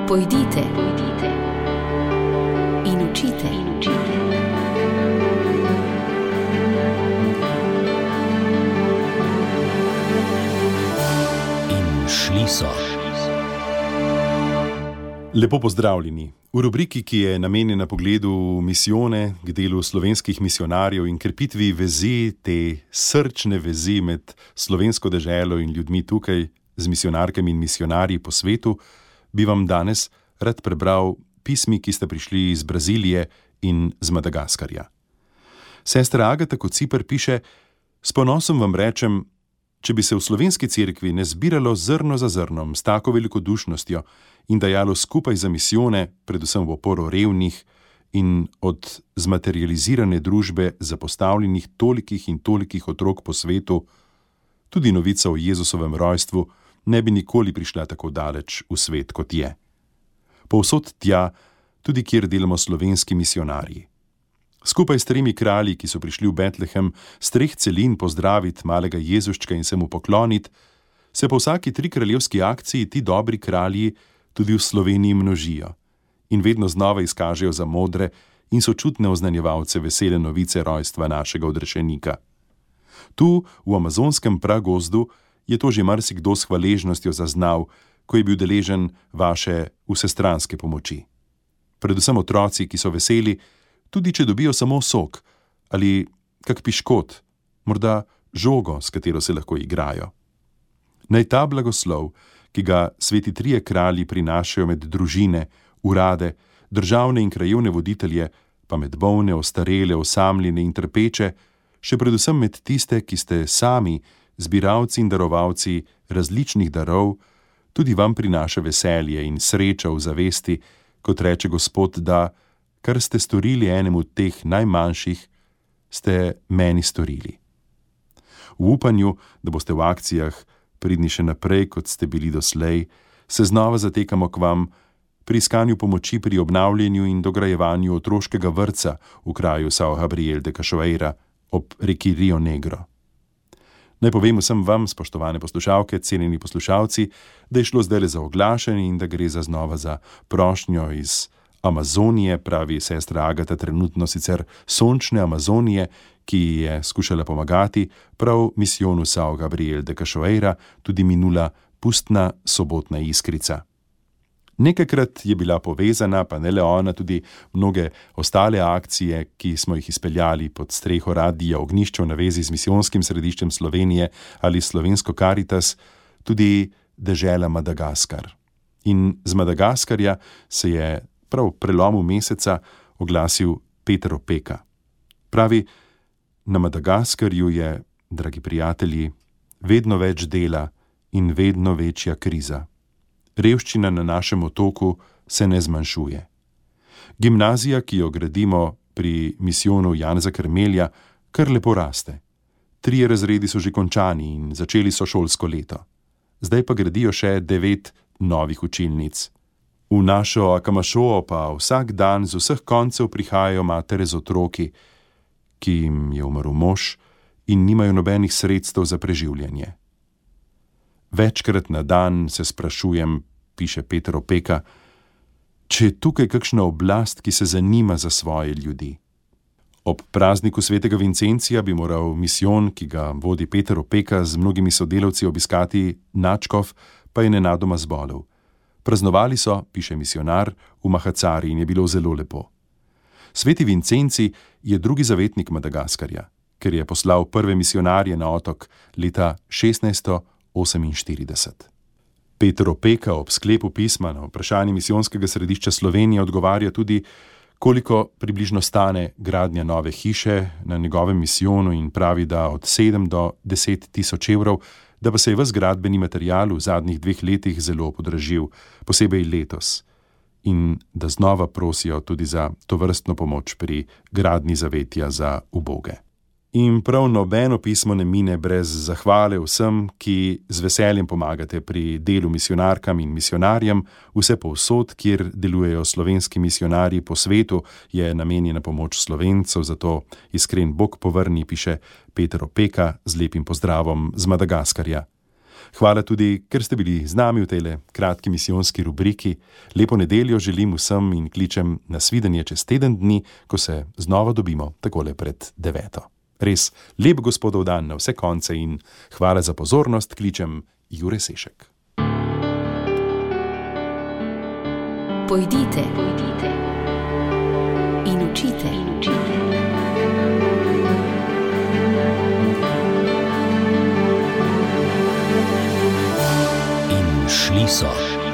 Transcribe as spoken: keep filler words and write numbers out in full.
Pojdite, pojdite in učite, in učite. In šli so. Lepo pozdravljeni. V rubriki, ki je namenjena pogledu misijone, k delu slovenskih misionarjev in krepitvi vezi, te srčne vezi med slovensko deželo in ljudmi tukaj, z misionarkami in misionarji po svetu, bi vam danes rad prebral pismi, ki sta prišli iz Brazilije in z Madagaskarja. Sestra Agata Kociper piše: S ponosom vam rečem, če bi se v slovenski cerkvi ne zbiralo zrno za zrnom s tako velikodušnostjo in dajalo skupaj za misijone, predvsem v oporo revnih in od zmaterializirane družbe zapostavljenih tolikih in tolikih otrok po svetu, tudi novica o Jezusovem rojstvu ne bi nikoli prišla tako daleč v svet, kot je. Povsod tja, tudi kjer delamo slovenski misionarji. Skupaj s tremi kralji, ki so prišli v Betlehem, s treh celin pozdraviti malega Jezuščka in se mu pokloniti, se po vsaki tri kraljevski akciji ti dobri kralji tudi v Sloveniji množijo in vedno znova izkažejo za modre in sočutne oznanjevalce vesele novice rojstva našega odrešenika. Tu, v amazonskem pragozdu, je to že marsikdo s hvaležnostjo zaznal, ko je bil deležen vaše vsestranske pomoči. Predvsem otroci, ki so veseli, tudi če dobijo samo sok ali kak piškot, morda žogo, s katero se lahko igrajo. Naj ta blagoslov, ki ga sveti trije kralji prinašajo med družine, urade, državne in krajevne voditelje, pa med bolne, ostarele, osamljene in trpeče, še predvsem med tiste, ki ste sami zbiralci in darovalci različnih darov, tudi vam prinaša veselje in sreča v zavesti, kot reče Gospod, da kar ste storili enemu teh najmanjših, ste meni storili. V upanju, da boste v akcijah pridni še naprej, kot ste bili doslej, se znova zatekamo k vam pri iskanju pomoči pri obnavljanju in dograjevanju otroškega vrtca v kraju São Gabriel de Cachoeira ob reki Rio Negro. Naj povem vsem vam, spoštovane poslušalke, cenjeni poslušalci, da je šlo zdaj za oglašanje in da gre za znova za prošnjo iz Amazonije, pravi sestra Agata, trenutno sicer sončne Amazonije, ki je skušala pomagati prav misijonu São Gabriel de Cachoeira, tudi minula pustna sobotna iskrica. Nekajkrat je bila povezana, pa ne le ona, tudi mnoge ostale akcije, ki smo jih izpeljali pod streho Radia Ognjišče v navezi z misijonskim središčem Slovenije ali Slovensko Karitas, tudi dežela Madagaskar. In z Madagaskarja se je prav v prelomu meseca oglasil Peter Opeka. Pravi: na Madagaskarju je, dragi prijatelji, vedno več dela in vedno večja kriza. Revščina na našem otoku se ne zmanjšuje. Gimnazija, ki jo gradimo pri misijonu Janeza Krmelja, kar lepo raste. Trije razredi so že končani in začeli so šolsko leto. Zdaj pa gradijo še devet novih učilnic. V našo Akamašoo pa vsak dan z vseh koncev prihajajo matere z otroki, ki jim je umrl mož in nimajo nobenih sredstev za preživljanje. Večkrat na dan se sprašujem, piše Peter Opeka, če je tukaj kakšna oblast, ki se zanima za svoje ljudi. Ob prazniku svetega Vincencija bi moral misijon, ki ga vodi Peter Opeka, z mnogimi sodelavci obiskati nadškof, pa je nenadoma zbolel. Praznovali so, piše misionar, v Mahacari in je bilo zelo lepo. Sveti Vincenci je drugi zavetnik Madagaskarja, ker je poslal prve misionarje na otok leta šestnajststo oseminštirideset. Peter Opeka ob sklepu pisma na vprašanje misijonskega središča Slovenije odgovarja tudi, koliko približno stane gradnja nove hiše na njegovem misijonu in pravi, da od sedem do deset tisoč evrov, da pa se je ves gradbeni material v zadnjih dveh letih zelo podražil, posebej letos, in da znova prosijo tudi za tovrstno pomoč pri gradnji zavetja za uboge. In prav nobeno pismo ne mine brez zahvale vsem, ki z veseljem pomagate pri delu misionarkam in misionarjem. Vse povsod, kjer delujejo slovenski misionarji po svetu, je namenjena pomoč Slovencev, zato iskren Bog povrni, piše Peter Opeka z lepim pozdravom z Madagaskarja. Hvala tudi, ker ste bili z nami v tej kratki misijonski rubriki. Lepo nedeljo želim vsem in kličem na svidenje čez teden dni, ko se znova dobimo takole pred deveto. Res lep Gospodov dan na vse konce in hvala za pozornost, kličem Jure Sešek. Pojdite, pojdite in učite, in učite. In šli so.